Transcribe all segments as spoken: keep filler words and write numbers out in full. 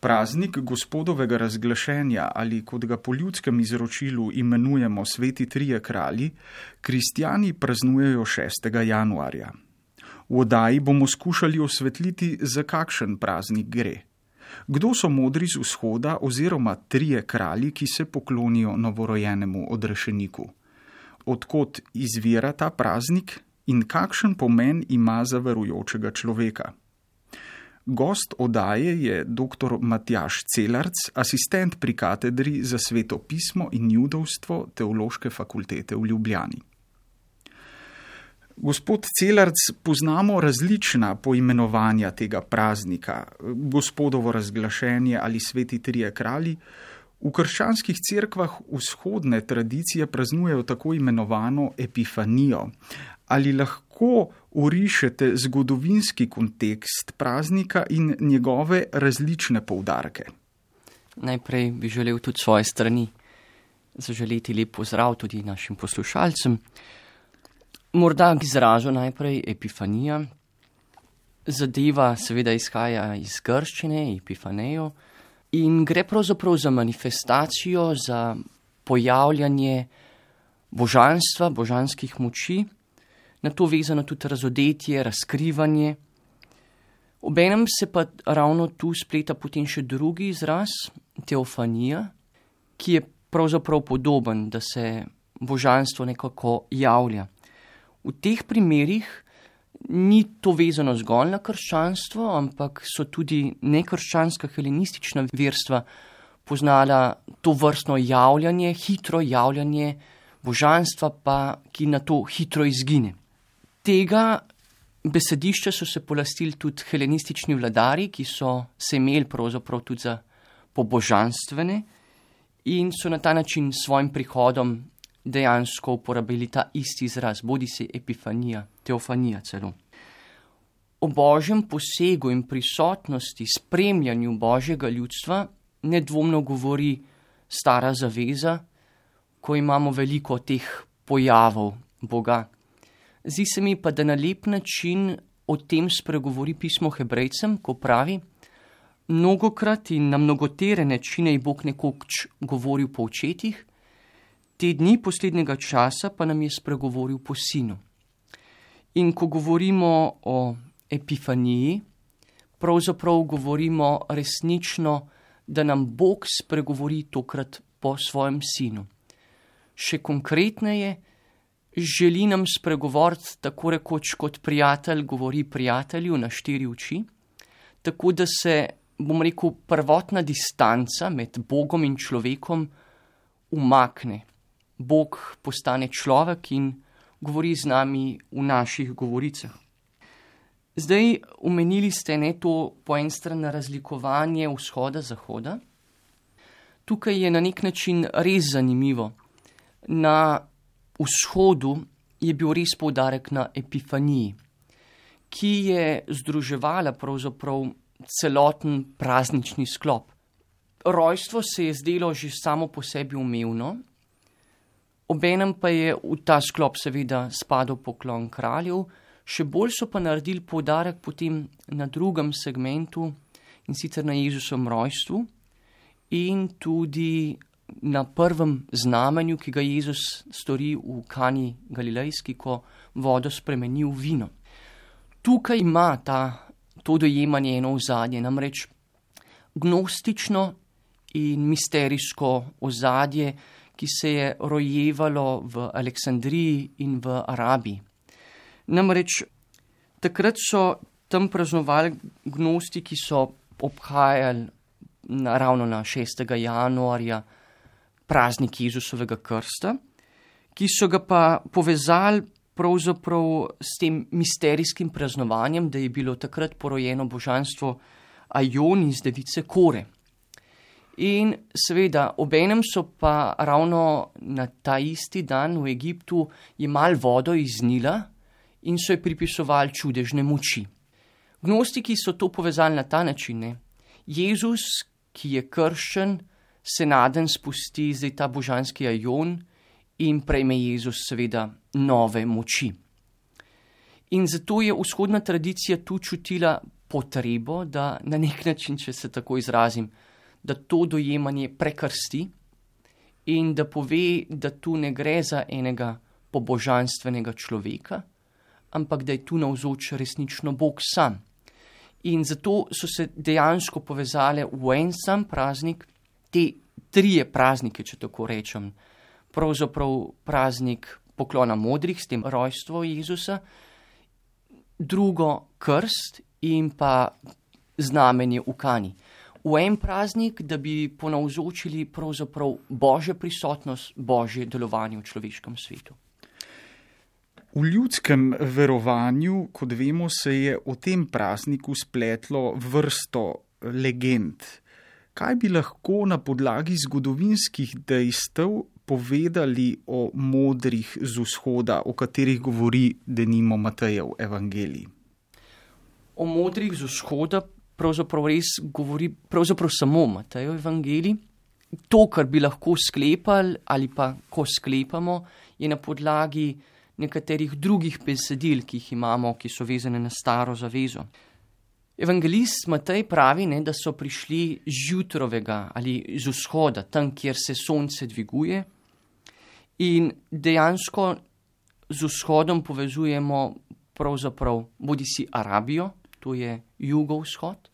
Praznik Gospodovega razglašenja ali, kot ga po ljudskem izročilu imenujemo Sveti trije kralji, kristjani praznujejo šestega januarja. V oddaji bomo skušali osvetliti, za kakšen praznik gre. Kdo so modri z vzhoda oziroma trije kralji, ki se poklonijo novorojenemu odrešeniku? Od kod izvira ta praznik in kakšen pomen ima za verujočega človeka? Gost oddaje je dr. Matjaž Celarc, asistent pri katedri za sveto pismo in judovstvo Teološke fakultete v Ljubljani. Gospod Celarc, poznamo različna poimenovanja tega praznika, Gospodovo razglašenje ali Sveti trije kralji. V krščanskih cerkvah vzhodne tradicije praznujejo tako imenovano epifanijo. Ali lahko orišete zgodovinski kontekst praznika in njegove različne poudarke? Najprej bi želel tudi svoje strani zaželeti lep pozdrav tudi našim poslušalcem. Morda k izrazu najprej epifanija. Zadeva seveda izhaja iz grščine, epifanejo, in gre pravzaprav za manifestacijo, za pojavljanje božanstva, božanskih moči, na to vezano tudi razodetje, razkrivanje. Obenem se pa ravno tu spleta potem še drugi izraz, teofanija, ki je pravzaprav podoben, da se božanstvo nekako javlja. V teh primerih ni to vezano zgolj na krščanstvo, ampak so tudi nekrščanska helenistična verstva poznala to vrstno javljanje, hitro javljanje božanstva, pa ki na to hitro izgine. Tega besedišča so se polastili tudi helenistični vladari, ki so se imeli pravzaprav tudi za pobožanstvene in so na ta način s svojim prihodom dejansko uporabili ta isti izraz, bodi si epifanija, teofanija celo. O božjem posegu in prisotnosti, spremljanju božjega ljudstva nedvomno govori Stara zaveza, ko imamo veliko teh pojavov Boga. Zdi se mi pa, da na lep način o tem spregovori pismo Hebrejcem, ko pravi: mnogokrat in na mnogotere načine je Bog nekoč govoril po očetih, te dni poslednjega časa pa nam je spregovoril po sinu. In ko govorimo o epifaniji, pravzaprav govorimo resnično, da nam Bog spregovori tokrat po svojem sinu. Še konkretneje, želi nam spregovoriti tako rekoč kot prijatelj govori prijatelju na štiri oči, tako da se, bom rekel, prvotna distanca med Bogom in človekom umakne. Bog postane človek in govori z nami v naših govoricah. Zdaj, omenili ste ne to po en strani razlikovanje vzhoda-zahoda. Tukaj je na nek način res zanimivo. Na vzhodu je bil res poudarek na epifaniji, ki je združevala pravzaprav celoten praznični sklop. Rojstvo se je zdelo že samo po sebi umevno, obenem pa je v ta sklop seveda spadal poklon kraljev, še bolj so pa naredili poudarek potem na drugem segmentu, in sicer na Jezusovem rojstvu in tudi na prvem znamenju, ki ga Jezus stori v Kani Galilejski, ko vodo spremeni v vino. Tukaj ima ta, to dojemanje eno ozadje, namreč gnostično in misterijsko ozadje, ki se je rojevalo v Aleksandriji in v Arabiji. Namreč takrat so tam praznovali gnosti, ki so obhajali na, ravno na šestega januarja praznik Jezusovega krsta, ki so ga pa povezali pravzaprav s tem misterijskim praznovanjem, da je bilo takrat porojeno božanstvo Aion iz device Kore. In seveda, obenem so pa ravno na ta isti dan v Egiptu jemali vodo iz Nila in so ji pripisovali čudežne moči. Gnostiki so to povezali na ta način. Ne? Jezus, ki je krščen, se naden spusti zdaj ta božanski Aion in prejme Jezus seveda nove moči. In zato je vzhodna tradicija tu čutila potrebo, da na nek način, če se tako izrazim, da to dojemanje prekrsti in da pove, da tu ne gre za enega pobožanstvenega človeka, ampak da je tu navzoč resnično Bog sam. In zato so se dejansko povezale v en sam praznik, te trije praznike, če tako rečem, pravzaprav praznik poklona modrih, s tem rojstvo Jezusa, drugo krst in pa znamenje v Kani. V en praznik, da bi ponavzočili pravzaprav Božjo prisotnost, Božje delovanje v človeškem svetu. V ljudskem verovanju, kot vemo, se je o tem prazniku spletlo vrsto legend. Kaj bi lahko na podlagi zgodovinskih dejstev povedali o modrih z vzhoda, o katerih govori denimo Matejev evangelij? O modrih z vzhoda pravzaprav res govori pravzaprav samo Matejev evangelij. To, kar bi lahko sklepali ali pa ko sklepamo, je na podlagi nekaterih drugih besedil, ki jih imamo, ki so vezane na staro zavezo. Evangelist Matej pravi, ne, da so prišli z jutrovega ali z vzhoda, tam, kjer se sonce dviguje, in dejansko z vzhodom povezujemo pravzaprav bodisi Arabijo, to je jugovzhod,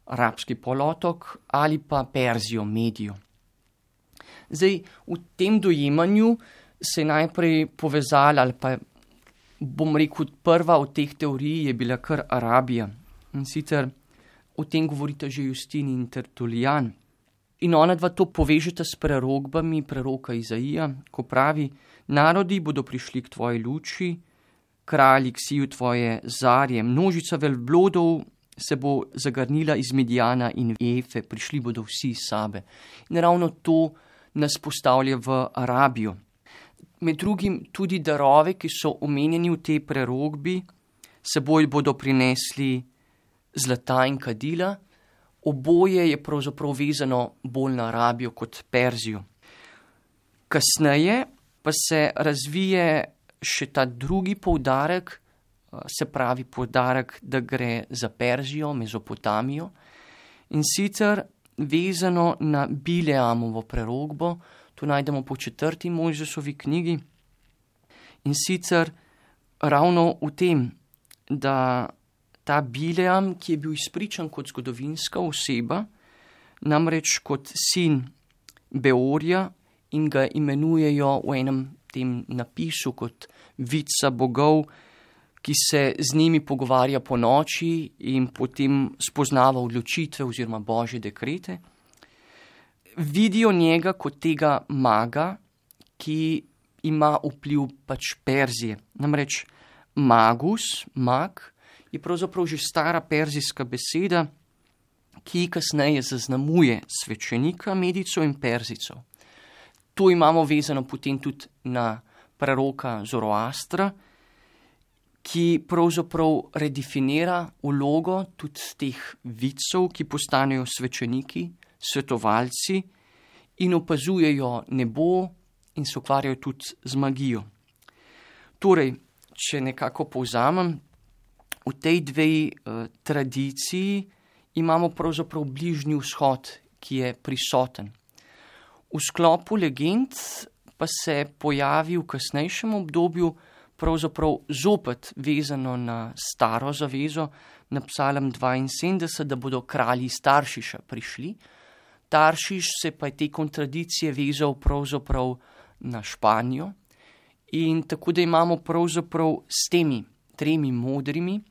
arabski polotok, ali pa Perzijo, Medijo. Zdaj, v tem dojemanju se je najprej povezala, ali pa bom rekel, prva od teh teorij je bila kar Arabija. In sicer o tem govorita že Justin in Tertulijan. In ona dva to povežeta s prerogbami preroka Izaija, ko pravi: narodi bodo prišli k tvoji luči, kralji k siju tvoje zarje, množica velblodov se bo zagrnila iz Midjana in Efe, prišli bodo vsi iz Sabe. In ravno to nas postavlja v Arabijo. Med drugim tudi darove, ki so omenjeni v tej prerogbi, seboj bodo prinesli zlata in kadila. Oboje je pravzaprav vezano bolj na Arabijo kot Perzijo. Kasneje pa se razvije še ta drugi poudarek, se pravi poudarek, da gre za Perzijo, Mezopotamijo, in sicer vezano na Bileamovo prerogbo. To najdemo po četrti Mojzesovi knjigi. In sicer ravno v tem, da ta Bileam, ki je bil izpričan kot zgodovinska oseba, namreč kot sin Beorja, in ga imenujejo v enem tem napisu kot vidca bogov, ki se z njimi pogovarja po noči in potem spoznava odločitve oziroma božje dekrete. Vidijo njega kot tega maga, ki ima vpliv pač Perzije. Namreč magus, mag, je pravzaprav že stara perzijska beseda, ki kasneje zaznamuje svečenika, medico in Perzico. To imamo vezano potem tudi na preroka Zoroastra, ki pravzaprav redefinira vlogo tudi teh vidcev, ki postanejo svečeniki, svetovalci in opazujejo nebo in se ukvarjajo tudi z magijo. Torej, če nekako povzamem, v tej dvej uh, tradiciji imamo pravzaprav bližnji vzhod, ki je prisoten. V sklopu legend pa se pojavi v kasnejšem obdobju pravzaprav zopet vezano na staro zavezo, na psalm dvainsedemdeset, da bodo kralji iz Taršiša prišli. Taršiš se pa je te kontradicije vezal pravzaprav na Španijo, in tako da imamo pravzaprav s temi tremi modrimi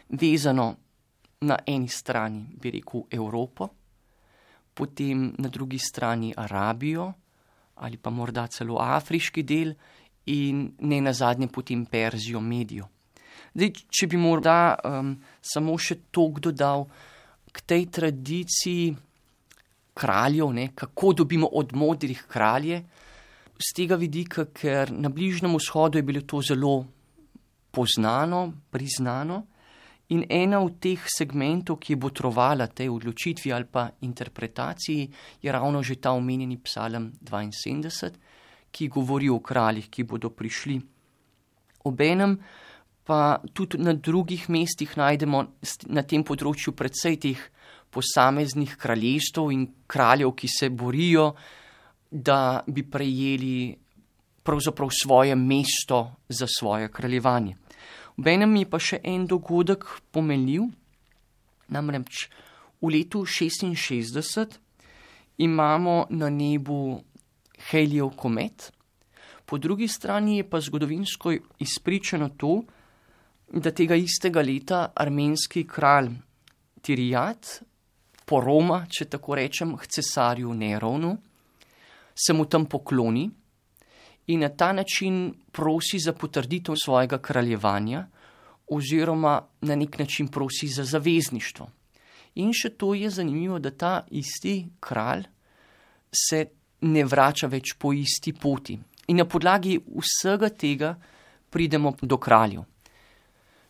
vezano na eni strani, bi rekel, Evropo, potem na drugi strani Arabijo ali pa morda celo afriški del in ne nazadnje potem Perzijo, Medijo. Zdaj, če bi morda um, samo še toliko dodal k tej tradiciji kraljev, ne, kako dobimo od modrih kralje, z tega vidika, ker na Bližnjem vzhodu je bilo to zelo poznano, priznano, in ena od teh segmentov, ki je botrovala tej odločitvi ali pa interpretaciji, je ravno že ta omenjeni psalm dvainsedemdeset, ki govori o kraljih, ki bodo prišli. Obenem pa tudi na drugih mestih najdemo na tem področju precej teh posameznih kraljestv in kraljev, ki se borijo, da bi prejeli pravzaprav svoje mesto za svoje kraljevanje. Obenem je pa še en dogodek pomenljiv, namreč v letu šestinšestdeset imamo na nebu Halleyjev komet, po drugi strani je pa zgodovinsko izpričano to, da tega istega leta armenski kralj Tirijat poroma, če tako rečem, k cesarju Neronu, se mu tam pokloni in na ta način prosi za potrditev svojega kraljevanja oziroma na nek način prosi za zavezništvo. In še to je zanimivo, da ta isti kralj se ne vrača več po isti poti. In na podlagi vsega tega pridemo do kraljev.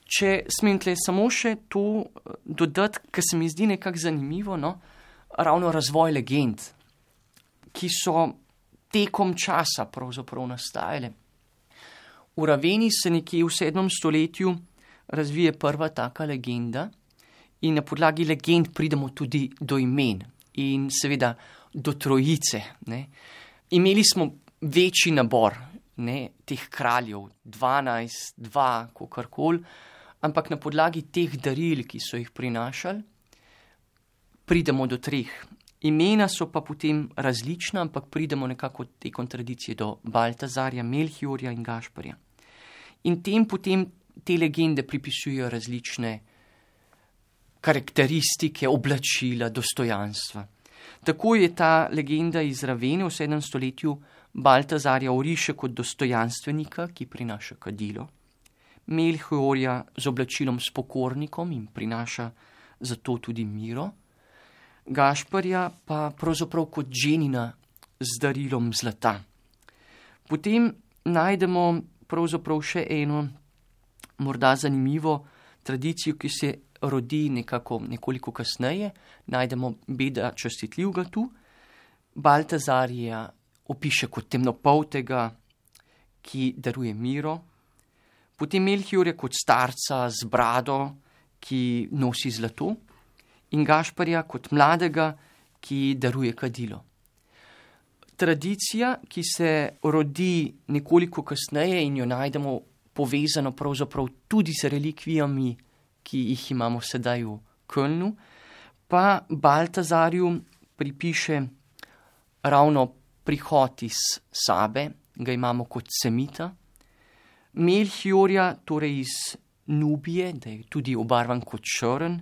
Če smem tle samo še to dodati, ker se mi zdi nekako zanimivo, no, ravno razvoj legend, ki so tekom časa pravzaprav nastajale. V Raveni se nekje v sedmem stoletju razvije prva taka legenda in na podlagi legend pridemo tudi do imen in seveda do trojice. Ne. Imeli smo večji nabor, ne, teh kraljev, dvanajst, dva, kakorkoli, ampak na podlagi teh daril, ki so jih prinašali, pridemo do treh. Imena so pa potem različna, ampak pridemo nekako od te kontradicije do Baltazarja, Melchiorja in Gašparja. In tem potem te legende pripisujejo različne karakteristike, oblačila, dostojanstva. Tako je ta legenda iz Ravene v sedmem stoletju Baltazarja oriše kot dostojanstvenika, ki prinaša kadilo, Melchiorja z oblačilom s pokornikom in prinaša zato tudi miro, Gašparja pa pravzaprav kot ženina z darilom zlata. Potem najdemo pravzaprav še eno morda zanimivo tradicijo, ki se rodi nekako nekoliko kasneje. Najdemo Beda Častitljivega tu. Baltazarja opiše kot temnopoltega, ki daruje miro. Potem Melchiorja kot starca z brado, ki nosi zlato. In Gašparja kot mladega, ki daruje kadilo. Tradicija, ki se rodi nekoliko kasneje in jo najdemo povezano pravzaprav tudi z relikvijami, ki jih imamo sedaj v Kölnu, pa Baltazarju pripiše ravno prihod iz Sabe, ga imamo kot semita, Melchiorja, torej iz Nubije, da je tudi obarvan kot črn,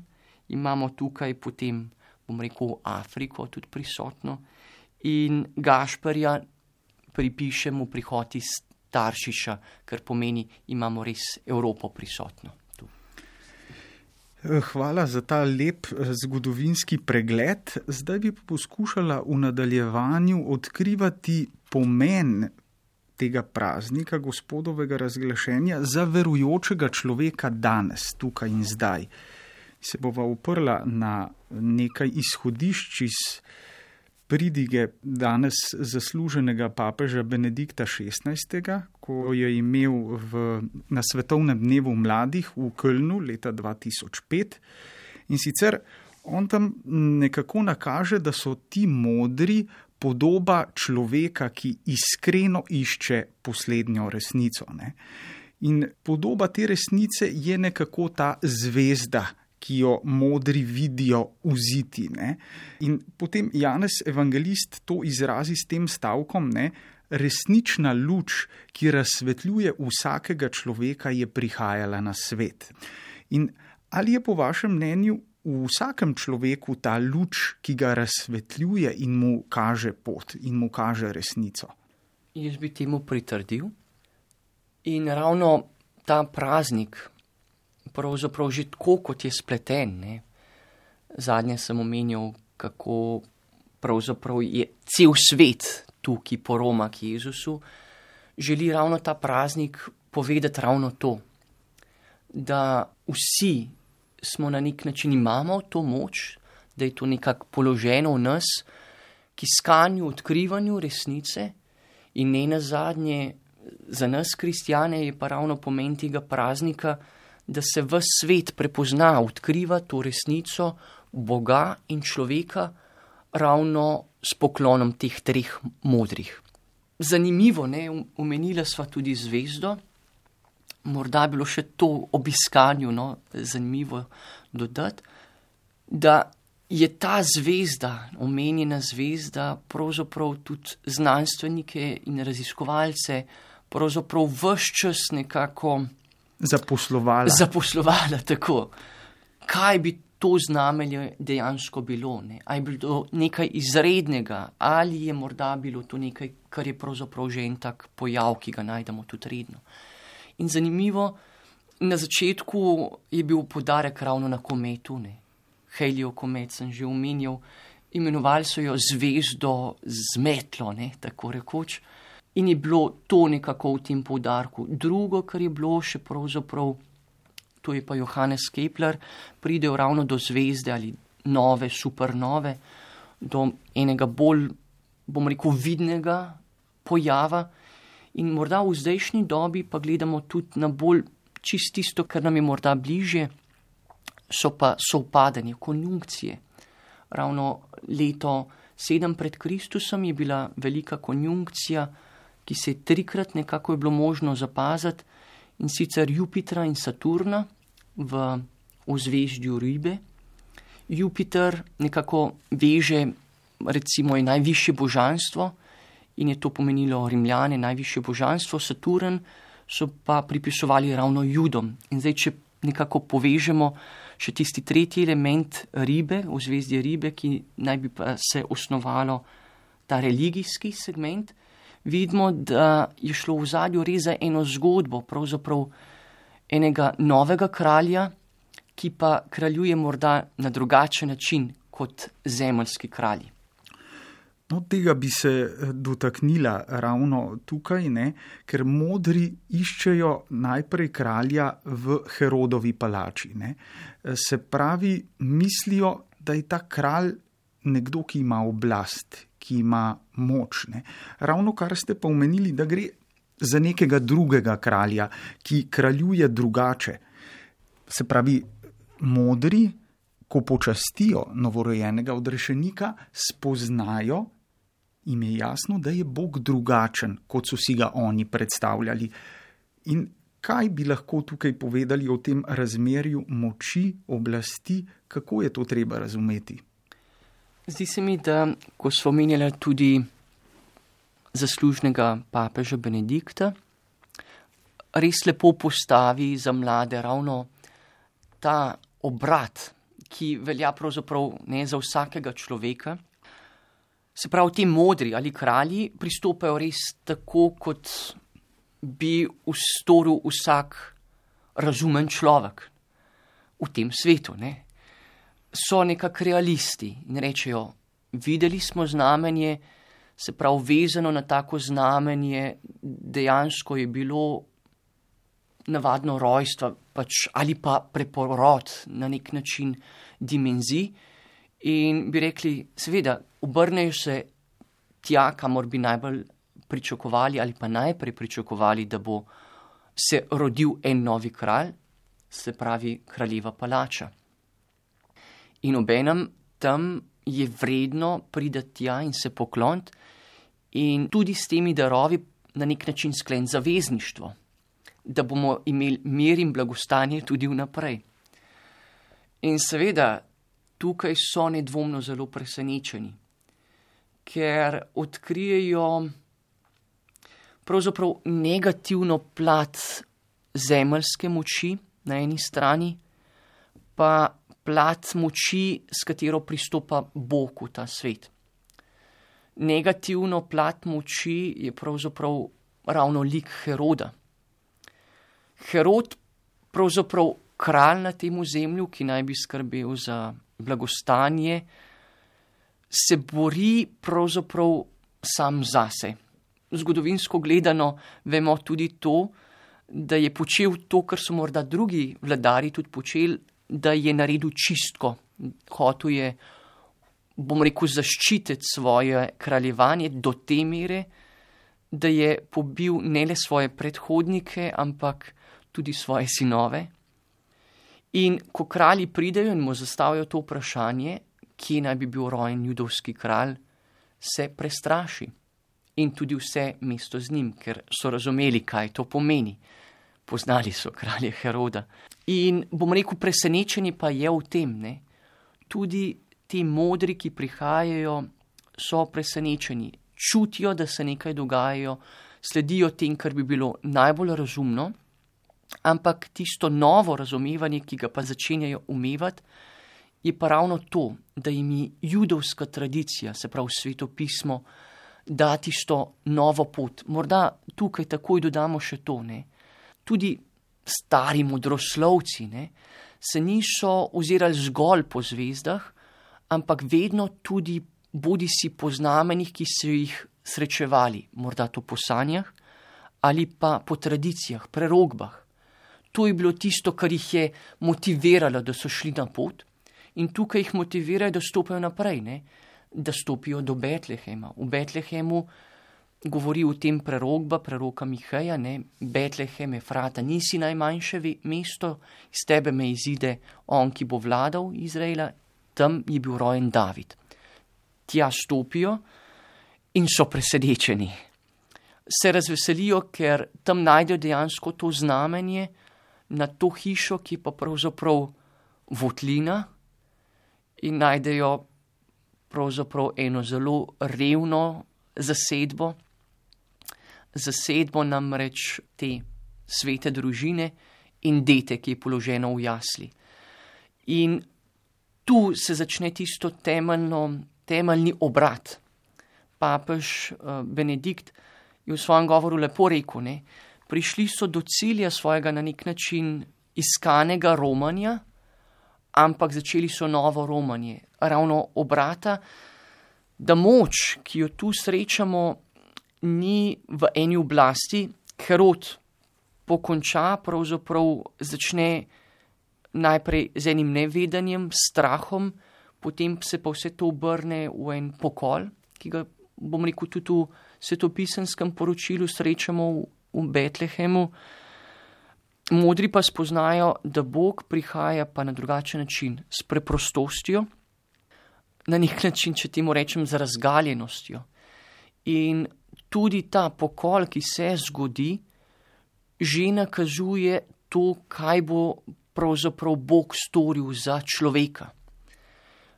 imamo tukaj potem, bom rekel, Afriko tudi prisotno, in Gašparja pripišemo prihod iz Taršiša, kar pomeni, imamo res Evropo prisotno. Tu. Hvala za ta lep zgodovinski pregled. Zdaj bi poskušala v nadaljevanju odkrivati pomen tega praznika, gospodovega razglašenja, za verujočega človeka danes, tukaj in zdaj. Se bova uprla na nekaj izhodišč iz pridige danes zasluženega papeža Benedikta šestnajstega, ko je imel v, na svetovnem dnevu mladih v Kölnu leta dva tisoč pet. In sicer on tam nekako nakaže, da so ti modri podoba človeka, ki iskreno išče poslednjo resnico. Ne? In podoba te resnice je nekako ta zvezda, ki jo modri vidijo vziti. Ne? In potem Janez evangelist to izrazi s tem stavkom, ne? Resnična luč, ki razsvetljuje vsakega človeka, je prihajala na svet. In ali je po vašem mnenju v vsakem človeku ta luč, ki ga razsvetljuje in mu kaže pot in mu kaže resnico? Jaz bi temu pritrdil. In ravno ta praznik, pravzaprav že tako, kot je spleten. Ne? Zadnje sem omenjal, kako pravzaprav je cel svet tu, ki poroma k Jezusu, želi ravno ta praznik povedati ravno to, da vsi smo na nek način imamo to moč, da je to nekako položeno v nas, k iskanju, odkrivanju resnice in ne nazadnje Za nas, kristjane, je pa ravno pomen tega praznika, da se ves svet prepozna, odkriva to resnico Boga in človeka ravno s poklonom teh treh modrih. Zanimivo, ne, omenila sva tudi zvezdo, morda bilo še to ob iskanju, no, zanimivo dodati, da je ta zvezda, omenjena zvezda, pravzaprav tudi znanstvenike in raziskovalce pravzaprav ves čas nekako zaposlovala. Zaposlovala, tako. Kaj bi to znamenje dejansko bilo? Ne? Ali je bilo nekaj izrednega, ali je morda bilo to nekaj, kar je pravzaprav že en tak pojav, ki ga najdemo tudi redno. In zanimivo, na začetku je bil poudarek ravno na kometu, ne? Halleyov komet sem že omenjal, imenovali so jo zvezdo z metlo, ne? Tako rekoč. In je bilo to nekako v tem poudarku. Drugo, kar je bilo še pravzaprav, to je pa Johannes Kepler, pridejo ravno do zvezde ali nove, supernove, do enega bolj, bom rekel, vidnega pojava. In morda v zdajšnji dobi pa gledamo tudi na bolj čist tisto, kar nam je morda bližje, so pa sovpadanje, konjunkcije. Ravno leto sedem pred Kristusom je bila velika konjunkcija, ki se je trikrat nekako je bilo možno zapaziti, in sicer Jupitra in Saturna v ozveždju Ribe. Jupiter nekako veže, recimo, je najvišje božanstvo in je to pomenilo Rimljane, najvišje božanstvo. Saturn so pa pripisovali ravno Judom. In zdaj, če nekako povežemo še tisti tretji element Ribe, ozvezdje Ribe, ki naj bi pa se osnovalo ta religijski segment, vidimo, da je šlo v zadju res za eno zgodbo, pravzaprav enega novega kralja, ki pa kraljuje morda na drugačen način kot zemeljski kralji. No, tega bi se dotaknila ravno tukaj, ne, ker modri iščejo najprej kralja v Herodovi palači. Ne. Se pravi, mislijo, da je ta kralj nekdo, ki ima oblast, ki ima moč. Ne. Ravno kar ste pa omenili, da gre za nekega drugega kralja, ki kraljuje drugače. Se pravi, modri, ko počastijo novorojenega odrešenika, spoznajo, jim je jasno, da je Bog drugačen, kot so si ga oni predstavljali. In kaj bi lahko tukaj povedali o tem razmerju moči, oblasti, kako je to treba razumeti? Zdi se mi, da ko smo omenjali tudi zaslužnega papeža Benedikta, res lepo postavi za mlade ravno ta obrat, ki velja pravzaprav ne za vsakega človeka. Se pravi, ti modri ali kralji pristopajo res tako, kot bi ustoril vsak razumen človek v tem svetu. Ne? So nekak realisti in rečejo, videli smo znamenje, se pravi, vezano na tako znamenje, dejansko je bilo navadno rojstvo pač, ali pa preporod na nek način dimenzij. In bi rekli, seveda, obrnejo se tja, kamor bi najbolj pričakovali ali pa najprej pričakovali, da bo se rodil en novi kralj, se pravi kraljeva palača. In obenem tam je vredno priti tja in se pokloniti in tudi s temi darovi na nek način skleniti zavezništvo, da bomo imeli mir in blagostanje tudi vnaprej. In seveda, tukaj so nedvomno zelo presenečeni, ker odkrijejo pravzaprav negativno plat zemeljske moči na eni strani, pa plat moči, s katero pristopa Bog v ta svet. Negativno plat moči je pravzaprav ravno lik Heroda. Herod, pravzaprav kralj na tem ozemlju, ki naj bi skrbel za blagostanje, se bori pravzaprav sam zase. Zgodovinsko gledano vemo tudi to, da je počel to, kar so morda drugi vladari tudi počeli, da je naredil čistko. Hotel je, bom rekel, zaščititi svoje kraljevanje do te mere, da je pobil ne le svoje predhodnike, ampak tudi svoje sinove. In ko kralji pridejo in mu zastavijo to vprašanje, kje naj bi bil rojen judovski kralj, se prestraši. In tudi vse mesto z njim, ker so razumeli, kaj to pomeni. Poznali so kralja Heroda. In bom rekel, presenečenje pa je v tem, ne? Tudi ti modri, ki prihajajo, so presenečeni. Čutijo, da se nekaj dogajajo, sledijo tem, kar bi bilo najbolj razumno, ampak tisto novo razumevanje, ki ga pa začenjajo umevati, je pa ravno to, da jim je judovska tradicija, se pravi svetopismo, da tisto novo pot. Morda tukaj takoj dodamo še to, ne. Tudi stari modroslovci, ne, se niso ozirali zgolj po zvezdah, ampak vedno tudi bodi si po znamenjih, ki so jih srečevali, morda to po sanjah, ali pa po tradicijah, prerogbah. To je bilo tisto, kar jih je motiviralo, da so šli na pot, in tukaj jih motivirajo, da stopijo naprej, ne? Da stopijo do Betlehema. V Betlehemu govori o tem prerogba, preroka Miheja, ne? Betlehem, Efrata, nisi najmanjše mesto, iz tebe me izide on, ki bo vladal Izraela, tam je bil rojen David. Tja stopijo in so presenečeni. Se razveselijo, ker tam najdejo dejansko to znamenje na to hišo, ki pa pravzaprav votlina, in najdejo pravzaprav eno zelo revno zasedbo, zasedbo namreč te svete družine in dete, ki je položeno v jasli. In tu se začne tisto temeljno, temeljni obrat. Papež Benedikt je v svojem govoru lepo rekel, ne, prišli so do cilja svojega na nek način iskanega romanja, ampak začeli so novo romanje, ravno obrata, da moč, ki jo tu srečamo, ni v eni oblasti. Herod pokonča, pravzaprav začne najprej z enim nevedanjem, strahom, potem se pa vse to obrne v en pokol, ki ga, bom rekel, tudi v svetopisenskem poročilu srečamo v, v Betlehemu. Modri pa spoznajo, da Bog prihaja pa na drugačen način, s preprostostjo, na nek način, če temu rečem, z razgaljenostjo. In tudi ta pokol, ki se zgodi, že nakazuje to, kaj bo pravzaprav Bog storil za človeka.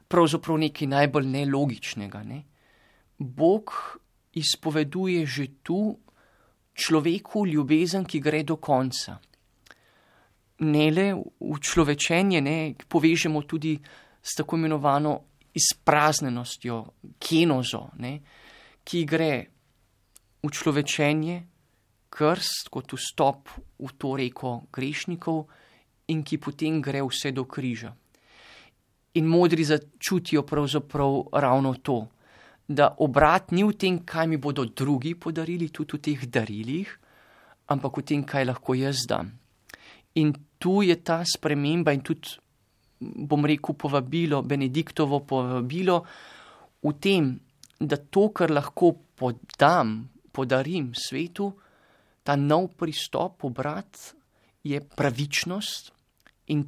Pravzaprav nekaj najbolj nelogičnega, ne? Bog izpoveduje že tu človeku ljubezen, ki gre do konca. Ne le v človečenje, ne, povežemo tudi s tako imenovano izpraznenostjo, kenozo, ne, ki gre v človečenje, krst kot vstop v to reko grešnikov in ki potem gre vse do križa. In modri začutijo pravzaprav ravno to, da obrat ni v tem, kaj mi bodo drugi podarili, tudi v teh darilih, ampak v tem, kaj lahko jaz dam. In tu je ta sprememba in tudi, bom rekel, povabilo, Benediktovo povabilo v tem, da to, kar lahko podam, podarim svetu, ta nov pristop, obrat, je pravičnost in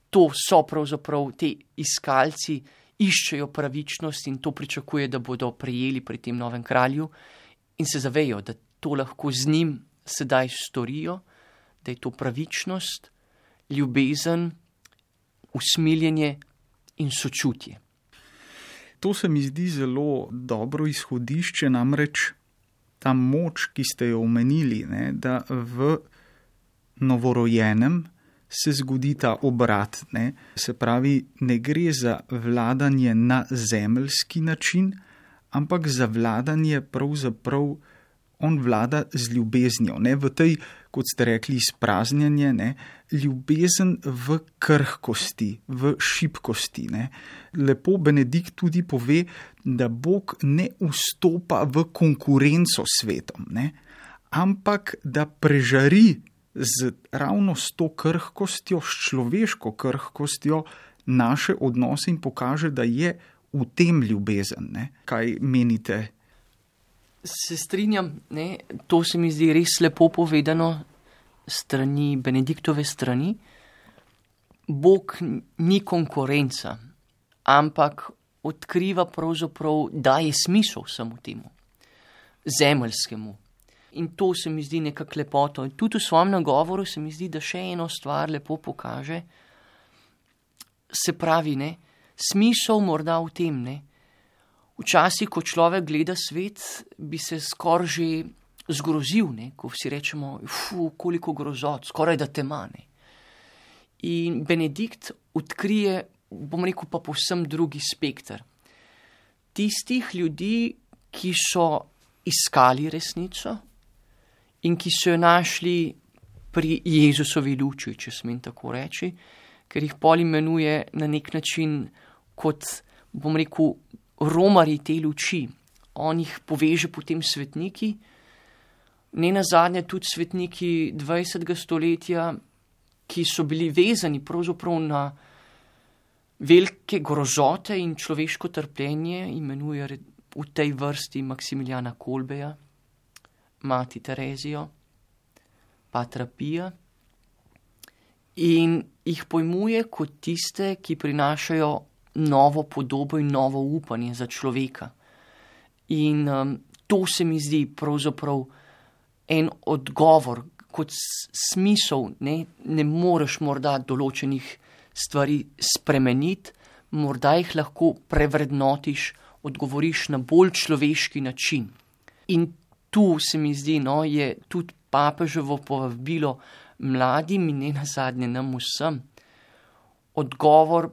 to so pravzaprav te iskalci, iščejo pravičnost in to pričakuje, da bodo prejeli pri tem novem kralju in se zavejo, da to lahko z njim sedaj storijo, da je to pravičnost, ljubezen, usmiljenje in sočutje. To se mi zdi zelo dobro izhodišče, namreč ta moč, ki ste jo omenili, ne, da v novorojenem se zgodi ta obrat, ne, se pravi, ne gre za vladanje na zemeljski način, ampak za vladanje pravzaprav on vlada z ljubeznijo, ne, v tej, kot ste rekli, izpraznjenje, ne, ljubezen v krhkosti, v šibkosti, ne. Lepo Benedikt tudi pove, da Bog ne vstopa v konkurenco s svetom, ne, ampak da prežari z ravno s to krhkostjo, s človeško krhkostjo naše odnose in pokaže, da je v tem ljubezen, ne. Kaj menite? Se strinjam, ne, to se mi zdi res lepo povedano strani Benediktove strani. Bog ni konkurenca, ampak odkriva pravzaprav, daje smisel vsemu temu, zemeljskemu. In to se mi zdi nekako lepoto. In tudi v svojem nagovoru se mi zdi, da še eno stvar lepo pokaže. Se pravi, ne, smisel morda v tem, ne. Včasih, ko človek gleda svet, bi se skoraj že zgrozil, ne, ko vsi rečemo, fu, koliko grozot, skoraj da tema, ne. In Benedikt odkrije, bom rekel, pa povsem drugi spekter. Tistih ljudi, ki so iskali resnico in ki so jo našli pri Jezusovi luči, če smem tako reči, ker jih pol imenuje na nek način kot, bom rekel, romarji te luči. On jih poveže potem svetniki, ne nazadnje tudi svetniki dvajsetega stoletja, ki so bili vezani pravzaprav na velike grozote in človeško trpljenje, imenuje v tej vrsti Maksimiljana Kolbeja, mati Terezijo, patra Pija, in jih pojmuje kot tiste, ki prinašajo novo podobo in novo upanje za človeka. In um, to se mi zdi pravzaprav en odgovor, kot smisel, ne, ne moreš morda določenih stvari spremeniti, morda jih lahko prevrednotiš, odgovoriš na bolj človeški način. In tu se mi zdi, no, je tudi papeževo povabilo mladim in ne nazadnje nam vsem, odgovor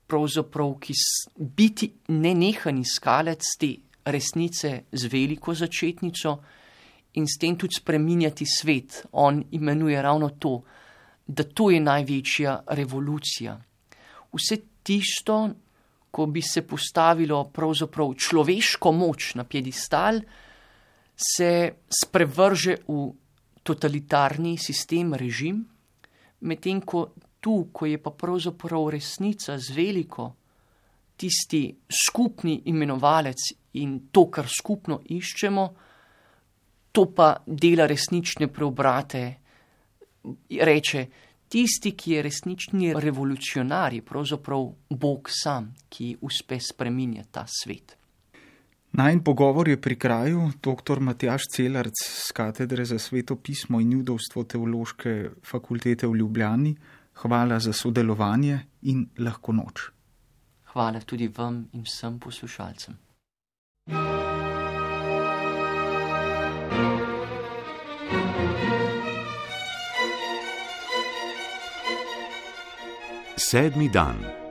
pravzaprav, ki biti nenehan iskalec te resnice z veliko začetnico in s tem tudi spreminjati svet. On imenuje ravno to, da to je največja revolucija. Vse tisto, ko bi se postavilo pravzaprav človeško moč na piedestal, se sprevrže v totalitarni sistem, režim, medtem ko tu, ko je pa pravzaprav resnica z veliko, tisti skupni imenovalec in to, kar skupno iščemo, to pa dela resnične preobrate. Reče, tisti, ki je resnični revolucionar, je pravzaprav Bog sam, ki uspe spreminjati ta svet. Najin pogovor je pri kraju doktor Matjaž Celarc z katedre za sveto pismo in judovstvo Teološke fakultete v Ljubljani. Hvala za sodelovanje in lahko noč. Hvala tudi vam in vsem poslušalcem. Sedmi dan.